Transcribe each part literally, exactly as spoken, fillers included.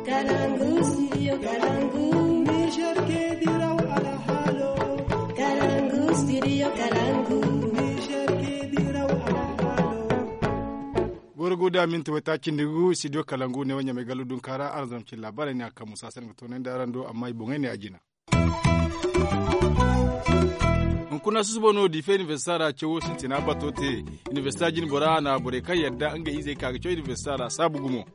Kalangu, studio Kalangu. Niger ke diraw alhalo. Kalangu, studio Kalangu. Niger ke diraw alhalo. Goro guda minti wata cindi gu studio Kalangu ne wanya mai galu dun kara arzam cin labarai ne akan musa sai ga tonandi aran do amma i boŋai ne a jina. Hunkuna susubo no dife universita ra cawo sintina bato te. Universita jin bora na borey kaŋ yadda nga izey ka ga cawo universita ra saabu gumo.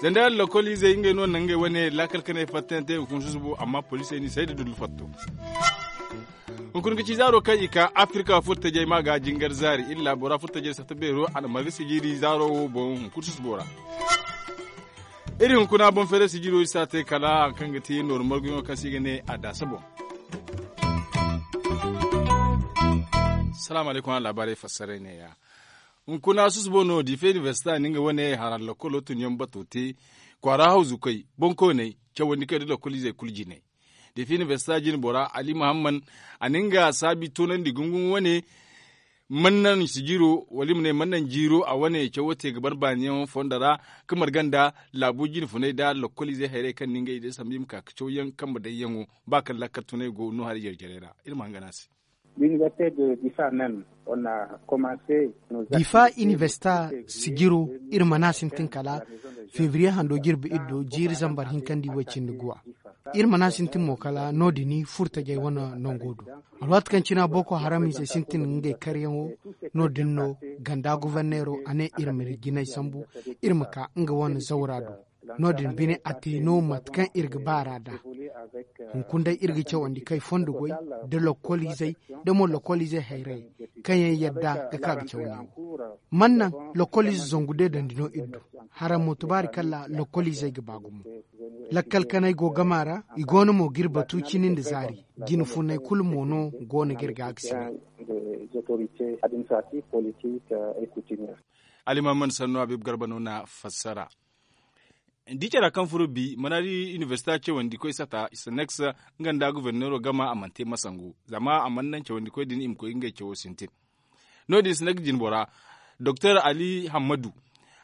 Zanda lokol izey ngey no na ngey wane laakal kanay fattante hunkuna susubo amma poliisey ni say da dullu fatto. Hunkuna ga ci zaaro kaŋ i ka afirka furtajey ma ga jingar zaari illa bora furtajey sata beero a na marga sijiri zaaro wo boŋ hunkuna susubo ra. Iri hunkuna boŋ fere sijiro isa te kala hari kaŋ ga ti nooru marguyaŋo kaŋ se i ga ne a daasa boŋ. Salaamu alaykum araŋ laabaarey fassaray neeya. Hunkuna susubo no diife inibersita na nga wane haran lakkolo tunyaŋ bato te kwaara hawzukoy boŋkooney cawandi kaŋ i da lakkoliizey kulu jinay. Diife inibersita jine bora ali muhamman a na nga saabi toonandi gunguŋ wane. Mannan sijiro wala i ma ne mannan jiiro a wane cawo te ga bar baaniyaŋo fondo ra, ga marga nda laabo jine funay nda lokkoliizey hayrey kaŋ na ngey day sambu i ma ka ga cawyaŋ kambe dayyaŋo ba kaŋ lakkal tunay go no hari jare-jarey ra. Iri ma hangan a se. Diifa inibersita sijiro iri mana sintin kala febriye hando jirbi iri do jiiri zambar hinkandi way cindi guwa. Iri mana sintin mo kala no- din furtajey wane nango do. Alwaati kaŋ cina boko haram ize sintin ngey karyaŋo no- din no ganda goborneero a ne iri ma jinay sambu iri ma ka nga wane zawra do. No- din bine a te no mate kaŋ iri ga baara nd'a. Hunkuna day iri ga cawandi kay fondo goy nda lokkoliizey nda mo lokkoliizey hayrayey kaŋ yaŋ yadda ga ka ga caw neewo. Mannaŋ lokkoliize zangu deedandi no iri du. Haraŋ mo tubaari kala lokkoliizey ga ba gumo. Lakkal kanay go gama ra i go no mo ga iri batu cini nda zaari. Jine funay kulu mo no go no ga iri ga a ga sine. Alimaman sannu habiibu garba no na fassara. Di care kaŋ furo bi mana di inibersita cawandikoy sata i saneks nga nda goborneero gama a mana te masangu zama a mana naŋ cawandikoy din i ma koy ngey cawo sintin. No- din i saneks jinbora doktor ali hammadu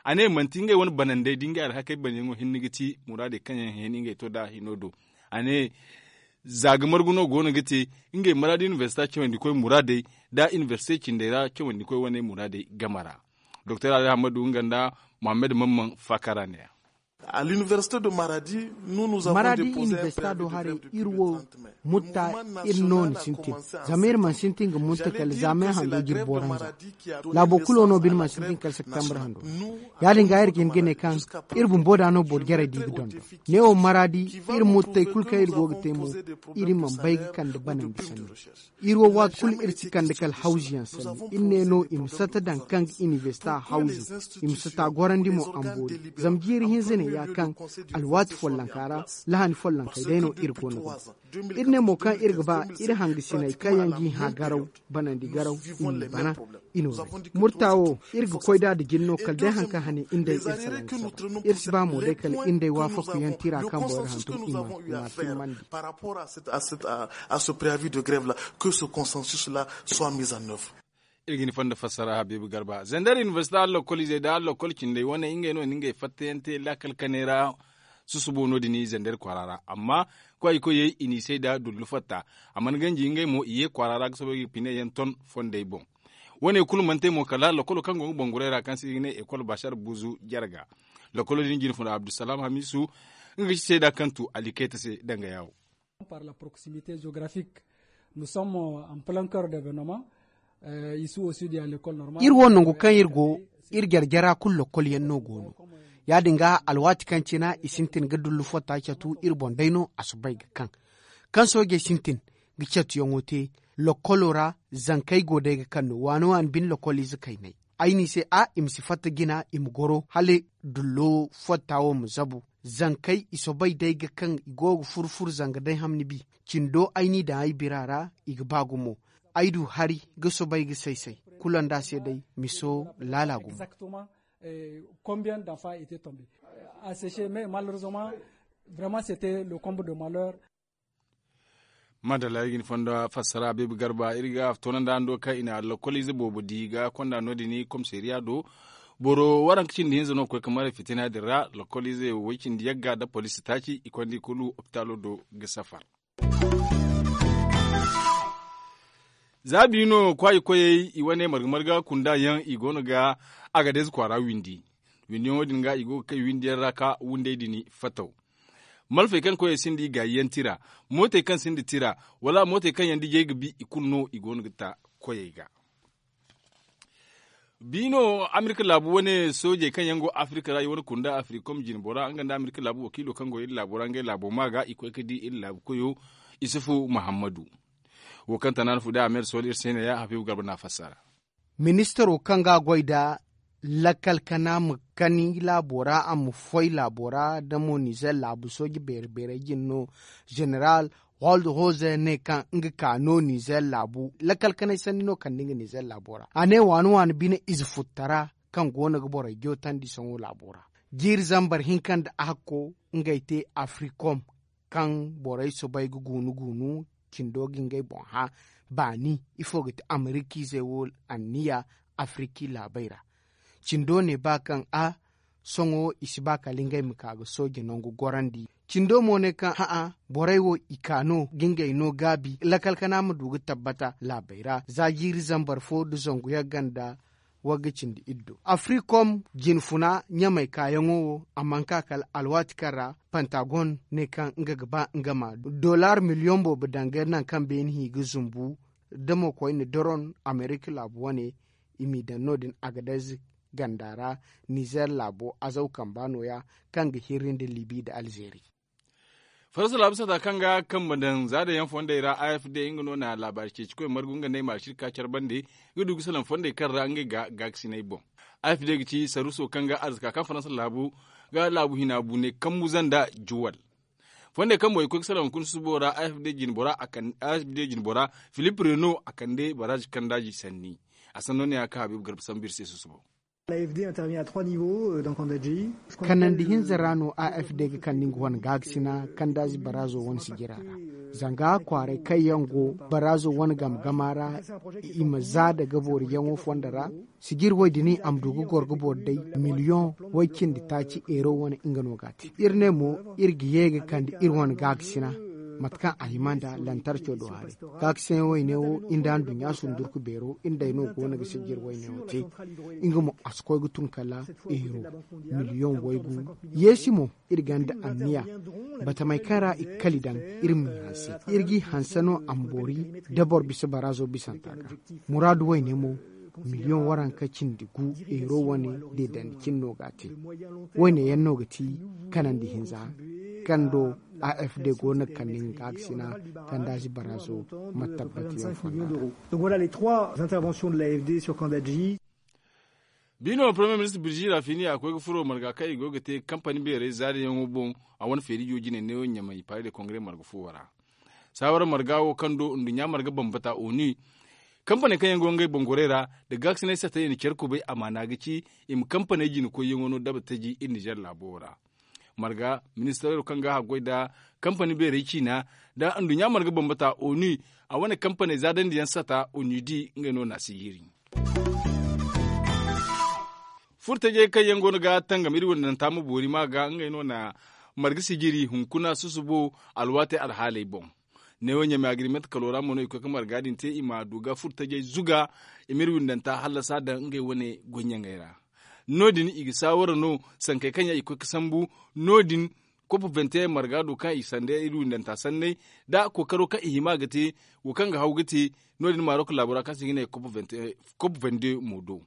a ne manti ngey wane banandey da ngey alhakey banyaŋo hinne ga ti muraadey kaŋ yaŋ hẽeni ngey to nd'a hino do. A ne za ga margu no go no ga te ngey maraadi inibersita cawandikoy muraadey nda inibersite cindey ra cawandikoy wane muraadey game ra. Doktor ali hammadu nga nda muhammad mamman faakara ne ya. Maraadi inibersita do haray iri wo mutta iri no ni sintin. Zama iri mana sintin ga mutta kala zaamay hando jirbo ranza. Laabo kulo no bine mana sintin kala septembre hando. Ya- din ga iri ga hin ga ne kaŋ iri bumbo da no boro jarey da i ga dondon. Neewo maraadi iri muttey kulu kaŋ iri go ga te mo iri mana bay ga kande banandi sanni. Iri wo waati kulu iri si kande kala hawzu yaŋ sanni iri ne no i ma sata daŋ kaŋ ga inibersita hawzu i ma sata gorandi mo amboori. Zama jiiri hinza ne ya kaŋ alwaati follonka ra lahani follonkey day no iri go no ga. Iri ne mo kaŋ iri ga ba iri hangasiney kaŋ yaŋ g'i hã garaw banandi garaw i m'i bana. I no day murta wo iri ga koy nd'a nda jine no kala day hari kaŋ hane iri day iri salaŋ ga saba. Iri si ba mo day kala iri day waafakuyaŋ tira kaŋ boro hantum i ma i ma a timmandi. Par rapport à ce préavis de grève là, que ce consensus là soit mis en œuvre. Iri ga ni fonda fassara habiibu garba zandar inibersita hari lokkoliizey nda hari lokkol cindey wane ngey no na ngey fattayaŋ te laakal kanay ra. Susubo no- din zandar kwaara ra amma kwaayikoyey i n'i say nda dullu fatta. A mana ganji ngey mo i ye kwaara ra ga soobay ga pine yaŋ ton fondey boŋ. Wane kulu mana te mo kala lokolo kaŋ go ga bangurey ra kaŋ se i ga ne ekol bashar buzu jarga. Lokolo din jine funa abdusalaam hamisu nga ga ci seeda kaŋ tu ali kayta se danga yaawo. Par la proximité géographique nous sommes en plein cœur d'événement. Iri wo nangu kaŋ iri go iri jare jara kulu lokol yaŋ no go no. Ya- din ga alwaati kaŋ cina i sintin ga dullu fotta catu iri boŋ day no a si bay ga kaŋ kaŋ soojey sintin ga catuyaŋo te lokolo ra. Zankey go day ga kaŋ no waani waani bine lokoliize kaynay ay n'i se a i ma si fatta jina i ma goro hala dullo fotta wo ma zabu. Zankey i soobay day ga kaŋ i go ga furu furu zanga day hamni bi cindo ay n'i daŋ ay bira ra. I ga ba gumo ay du hari ga soobay ga say say kulu nda se day miso laala gumo. Combien d'enfants étaient tombés à sécher mais malheureusement vraiment c'était le comble de malheur. Madalla iri ga ni fondo fassara beebi garba iri ga toonandi hando kaŋ i na lokoliize boobo di ga konda no- din komisariya do. Boro waranka cindi hinza no ga koy ga maray fitina din ra. Lokoliizey wo way cindi yagga nda poliisi taaci i konda i kulu opitaalo do ga safar. Za biino kwaayi koyey i wane marga marga kunda yaŋ i go no ga agades kwaara windi. Windiyaŋo din ga i go ga kay windiyaŋ ra ka wundey din fataw. Malfey kaŋ koyey sinda i gaayi yaŋ tira, mootey kaŋ sinda tira, wala mootey kaŋ yaŋ dijey ga bi i kulu no i go no ga ta koyey ga. Biino amerika laabu wane soojey kaŋ yaŋ go afirika ra i wane kunda afirikom jinbo ra nga nda amerika laabu wakiilo kaŋ go iri laabo ra ngey laabo ma ga i koy ga di iri laabu koyo isufu muhammadu. Wo kaŋ tana no fude a meera sooli iri se ne ya habiibu garba no a fassara. Ministaro kaŋ ga a goy nda lakkal kana ma kani laabo ra a ma foy laabo ra da mo nizer laabu sooje beere beerey jine no. Zeneral, holde hoze ne kaŋ nga ka no nizer laabu lakkal kanay sanni no kande nga nizer laabo ra a ne waani waani bine ize futtara kaŋ go no ga borey jootandi sohõ laabo ra. Jiiri zambar hinka nda a hakko ngey te afirikom kaŋ borey soobay ga guunu guunu cindo ga ngey boŋ hã baani ifo ga ti amerikiizey wo anniya afiriki laabey ra. Cindo ne ba kaŋ a sohõ i si ba kala ngey ma ka ga sooje nangu gorandi. Cindo mo ne kaŋ hã'a borey wo i ka no ga ngey no gaabi lakkal kana ma du ga tabbata laabey ra za jiiri zambar fo nda zangu yagga nda wagga cindi iddo afirikom jinfuna ɲamey kaayaŋo wo a mana ka kala alwaati kaŋ ra pantagon ne kaŋ nga ga ba nga ma dollar miliyoŋ boobo danga nangu kaŋ beene hi ga zumbu da mo koyne doron amerika laabu wane i m'i daŋ no- din agadez ganda ra nizer laabo azaw kamba nooya kaŋ ga hirri nda libi nda alzeeri. Faransa laabu sata kaŋ ga kambe daŋ za daŋ yaŋ fondey ra a f d nga no na laabaari ceeci koy margu nga ne i ma alcirka care bande ga du ga salaŋ fondey kaŋ ra ngey ga gaakasinay boŋ. A f d ga ci saruuso kaŋ ga arzaka kaŋ faransa laabu ga laabu hina bu ne kambu zanda juwal. Fondey kaŋ boŋ i koy ga salaŋ hunkuna susubo ra a f d jinbo ra filip reno a kande baraazi kandaazi sanni. A sanno ne ya kaŋ habiibu garba sambu iri se susubo. Kanandi hinza ra no a f d ga kande nga wane gaagasina kandaazi baraazo wane sijira ra. Zanga kwaaray kaŋ yaŋ go baraazo wane game gama ra i ma za daga booriyaŋo fondo ra. Sijir wo- din a ma du ga goro ga boori day miliyoŋ way- cindi taaci eero wane nga no ga a te iri ne mo iri ga ye ga kande iri wane gaagasina mate kaŋ a hima nda lantarco do haray. Gaagasina wayne wo iri nda anduɲɲa sundurku beero iri day no go no ga sijir wayne wo te. Nga mo a si koy ga tun kala eero miliyoŋ waygu. Yeesi mo iri gonda anniya batamey kaŋ ra i ga kali daŋ iri m'i hanse. Iri g'i hanse no a ma boori da boro bisa baraazo bisanta ga. Muraadu wayne mo miliyoŋ waranka cindi gu eero wane deedandi cine no ga a te. Wayne yaŋ no ga ti kanandi hinza kaŋ do a f d go no ga kande nga gaagasina kandaazi baraazo ma tabbati yaŋ fonda ra. Biino premier ministre birji rafini a koy ga furo marga kaŋ i go ga te kampani beerey zaariyaŋo boŋ. A wane feerijo jine neewo ɲamay pare de kongre marga fuwo ra. Saawara marga wo kaŋ do nduɲɲa marga bambata onu kampaney kaŋ yaŋ go ngey boŋ gorey ra da gaakasinay satey i na care kubay amaana ga ci i ma kampaney jina koyyaŋo no daba taji iri nizer laabo wo ra. Marga ministaro kaŋ ga a goy nda kampani beerey ciina nda nduɲɲa marga bambata onu a wane kampaney zaadandiyaŋ sata onu di ngey no na a sijiri. Furtajey kaŋ yaŋ go no ga tangam iri wandanta ma boori ma ga ngey no na marga sijiri hunkuna susubo alwaatey alhaaley boŋ. Neewo ɲamay agrimenti kalo ra mo no i koy ga marga din te i ma du ga furtajey zuga i ma iri windanta hallasa daŋ ngey wane goyyaŋey ra. No- din i ga saawara no sankey kaŋ yaŋ i koy ga sambu no- din kopo vente marga do kaŋ i sanda iri windanta sanney da kookaro kaŋ i hima ga te wo kaŋ ga haw ga te. No- din maarok laabo ra kaŋ se i ga ne kopo vente mo do.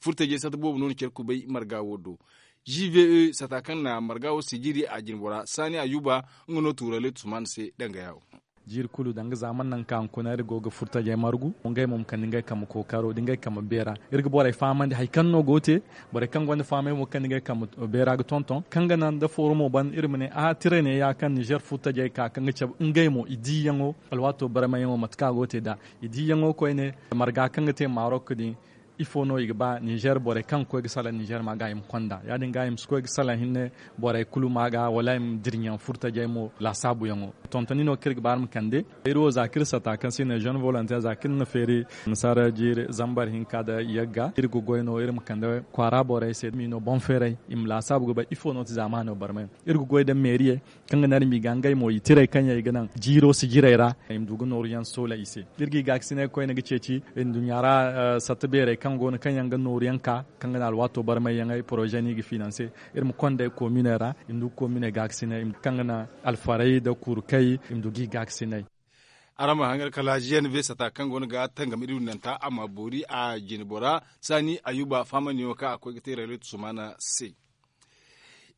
Furtajey sata boobo no na care kubay marga wo do. G v e sata kaŋ na marga wo sijiri a jinbo ra saani ayuba nga no tuuraley tusman se danga yaawo. Jiiri kulu danga zaaman nangu kaŋ a hunkuna iri go ga furtajey margu ngey mo ma kande ngey kambe kookaro da ngey kambe beera. Iri ga borey fahamandi hari kaŋ no go te. Borey kaŋ gonda fahamay mo ga kande ngey kambe beera ga tonton kaŋ ga naŋ da fooro mo ban iri ma ne a tirey ne ya kaŋ nizer furtajey ka kaŋ ga cabe ngey mo i diiyaŋo alwaato barmayyaŋo mate kaŋ a go te nd'a. I diiyaŋo koyne marga kaŋ ga te marok din. Ifo no i ga ba ninzeer borey kaŋ ga koy ga salaŋ ninzeer ma ga i ma konda ya- din ga i ma si koy ga salaŋ hinne borey kulu ma ga wala i ma dira ɲaŋ furtajey mo laasaabuyaŋo. Tontoni no kaŋ iri ga ba iri ma kande iri wo za kaŋ iri sata kaŋ se i ne zone volonteer za kaŋ iri na feeri nasaara jiiri zambar hinka nda yagga iri ga goy no iri ma kande kwaara borey se i ma i no boŋ feeray i ma laasaabu ga bay ifo no ti zaamaano barmay. Iri ga goy nda meeriyey kaŋ ga naŋ iri ma i ga ngey mo i tirey kaŋ yaŋ i ga naŋ jiiro sijirey ra i ma du ga nooru yaŋ soola i se. Iri ga i gaakasinay koyne ga ceeci nduɲɲa ra satta beerey kaŋ go no kaŋ yaŋ ga nooru yaŋ ka kaŋ ga naŋ alwaato barmay yaŋey poroze no i ga finanse. Iri ma konda kominey ra i ma du ga kominey gaakasinay kaŋ ga naŋ alfarey nda kurkey i ma du ga i gaakasinay. Araŋ ma hangan kala jiyan be sata kaŋ go no ga tangam iri windanta a ma boori a jine bora saani ayuba fahamandi yaŋo kaŋ a koy ga te rayletu sumaana se.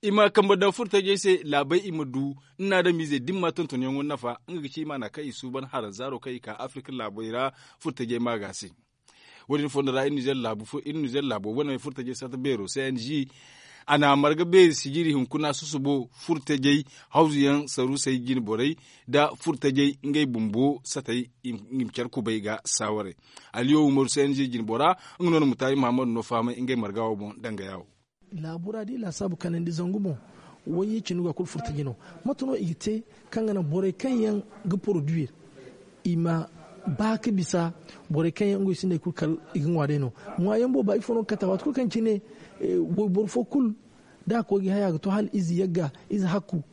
I ma kambe daŋ furtajey se laabey i ma du ni na adamiizey da ni ma tontonyaŋo nafa. Nga ga ci i maana kaŋ i suuban haranzaaro kaŋ i ka afirka laabey ra furtajey maaga se. Wo- din fondo ra iri nizer laabo wane furtajey sarta beero c n g a na a marga beeri sijiri hunkuna susubo furtajey hawzu yaŋ saruusey jine borey nda furtajey ngey bumbo satey i ma care kubay ga saawaray. Aliyo umaru c n g jine bora nga no na mutaari muhammadu no fahamay ngey marga wo boŋ danga yaawo. Laabu ra da i laasaabu kanandi zangu boŋ wayye cindi go a kulu furtaji no. Mate no i ga te kaŋ ga naŋ borey kaŋ yaŋ ga poroduwir i ma ba ga bisa borey kaŋ yaŋ ngey sinda hari kulu kala i ga ŋwa day no. Ŋwa yaŋ booba ifo no ga kate waati kulu kaŋ cine wayboro fo kulu da a koy ga haya a ga to hala ize yagga ize hakku.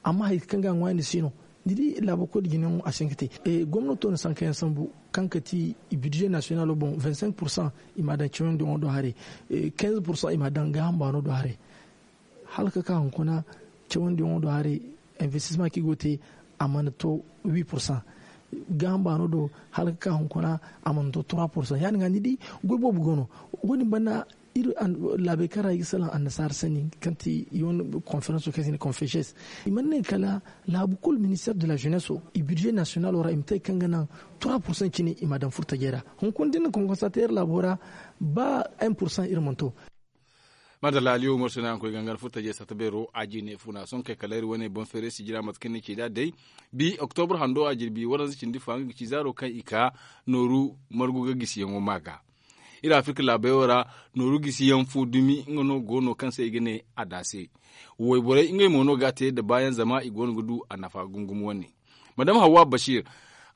Amma hari kaŋ ga a ŋwaayandi si no ni di laabo koy da jinayaŋo a si hin ga te. Gomnato na sankayaŋ sambu kaŋ ga ti i birze nasiyonalo boŋ vingt cinq pursan i m'a daŋ cawandi ŋo do haray. Quinze pursan i m'a daŋ gaaham baano do haray. Hala ga ka hunkuna cawandi ŋo do haray. Investisma kaŋ i go ga te a mana to huit pursan. Gaaham baano do hala ga ka hunkuna a mana to trois pursan ya- din ga ni di goy boobo go no. Wo- din banda iri laabey kaŋ ra i ga salaŋ annasaara sanni kaŋ ti i wane konferanso kaŋ se i ne konfeses. I mana ne kala laabu kulu minister de la jeunesse i birze nasiyonalo ra i ma te kaŋ ga naŋ trois pursan cine i m'a daŋ furtajey ra. Hunkuna da ni na konkonsa te iri laabo ra ba un pursan iri mana to. Madalla aliyo umaru sina yaŋ koy gangan furtajey sata beero a jine funa sohõ kay kala iri wane boŋ feeray sijira mate kaŋ ni ci nd'a day. Bi oktobur hando a jirbi waranza cindi fa nga ga ci zaaro kaŋ i ka nooru margu ga gisiyaŋo ma ga. Iri afirka laabey wo ra nooru gisi yaŋ fo dumi nga no go no kaŋ se i ga ne a daase. Wayborey ngey mo no ga a te nda baayaŋ zama i go no ga du a nafa gungum wane. Madam hawwa bashir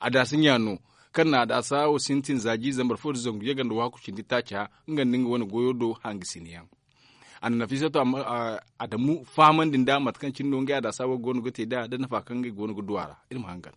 a daase ɲya no kaŋ na a daasa wo sintin za jiiri zambar fo nda zangu yagga nda waaku cindi taaca nga nda nga wane goyo do hangasina yaŋ. A na nafiisatu adamu fahamandi nda mate kaŋ cine no ngey a daasa wo go no ga te nd'a nda nafa kaŋ ngey go no ga du a ra. Iri ma hangan.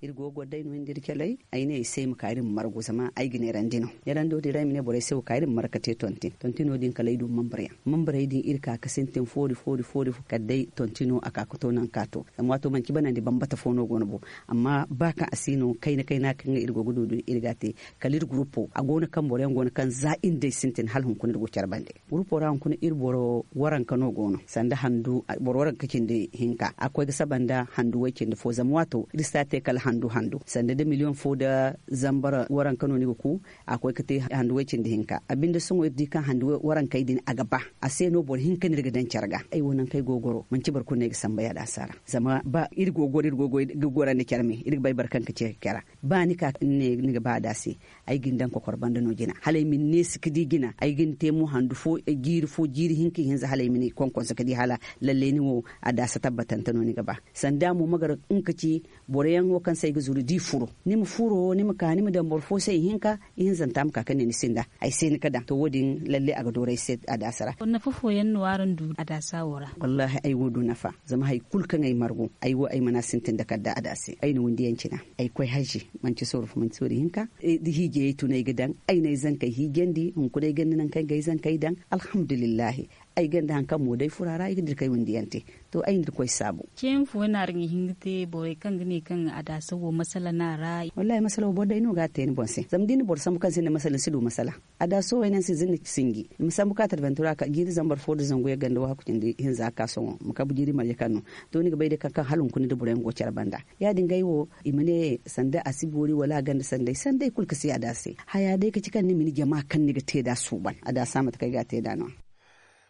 Iri go ga goro day no iri nda iri caley. Ay ne ay se ay ma ka iri ma margu zama ay ga neerandi no. Neerando din ra ay ma ne borey se wo ka iri ma margu ga te tontin tontino din kala ay du mambur yaŋ. Mamburey din iri ka ga sintin foori foori foori kala day tontino a ka ga to nangu kaŋ a to. Zama waato manti banandi bambata fo no go no bo. Amma ba kaŋ a si no kayna kayna kaŋ iri go ga du din iri ga a te. Kala iri gurupo a go no kaŋ boro yaŋ go no kaŋ za iri nda ay sintin hala hunkuna iri go care bande. Gurupo ra hunkuna iri boro waranka no go no sanda handu boro waranka cindi hinka a ga koy ga saba nda handu way cindi fo zama waato iri si a te kala handu handu sanda da miliyoŋ fo nda zambar waranka no ni ga ku. A ga koy ga te handu way cindi hinka a binde sohõ iri di kaŋ handu warankey din a ga ba. A se no boro hinka no iri ga daŋ care ga ay wo nangu kaŋ ay go ga goro manti boro kulu no ay ga samba yaadin a si a ra. Zama ba iri go ga goro iri go ga gorandi care me iri ga bay boro kaŋ ga ce care. Ba ni ka ni ne ni ga ba a da se. Ay ga ni daŋ kokoro banda no jina hala ay ma ni neesi ga di jina ay ga ni te mo handu fo jiiri fo jiiri hinka ihinza hala ay ma ni konkonso ga di hala lalle ni wo. A daasa tabbatante no ni ga ba sanda mo ma gar nga ga ci boro yaŋ wo kaŋ se ay ga zuru da i furo ni ma furo ni ma ka ni ma daŋ boro fo se ihinka ihinzanta ma ka ga ne ni sinda ay se ni ga daŋ to wo- din lalle a ga dooru ay se a daasa ra. Nafa fooyaŋ no araŋ du a daasa wo ra? Wallaahi ay wo du nafa. Zama hari kulu kaŋ ay margu ay wo ay mana sintin da kala da a daase ay na windi yaŋ cina. Ay ga koy hazi manti sooru fo manti sooru hinka da hiijayey tun ay ga daŋ. Ay na ay zankey hiijandi hunkuna ay ganda nangu kaŋ ay ga ay zankey daŋ. Alhamdulillahi. Ay ganda hari kaŋ mo day furo a ra ay ga dira kay windi yaŋ te. To ay na iri koy saabu. Ceeyaŋ fooyaŋ no araŋ ga hin ga te borey kaŋ ga ne kaŋ a daasa wo masala no a ra? Wallaahi masala wo boro day no ga a te ni boŋ se zama da ni na boro sambu kaŋ sinda masala ni si du masala. A da sohõ ay naŋ se zina sinji i ma sambu ka tarbantura ka jiiri zambar fo da zangu yaŋ ganda waaku cindi hinza ka sohõ ma kabu jiiri marje kaŋ no. To ni ga bay day kaŋ kaŋ hala hunkuna da boro yaŋ go care banda. Ya- din ga ay wo i ma ne sanda a si boori wala a ganda sanday sanday kulu ga si a da se. Haya day ga ci kaŋ ni ma ni jama kaŋ ni ga te nd'a suuban a da sa mate kaŋ ay ga a te nd'a no.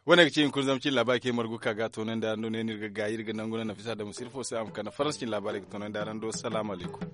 Wane ga ci hunkuna zama cin laabaari kaŋ ay margu ka ga toonandi araŋ do ne no iri ga gaayi iri ga nangu naŋ nafisa da musirfo se a ma kande faransa cin laabaari ga toonandi araŋ do salaamu alaykum.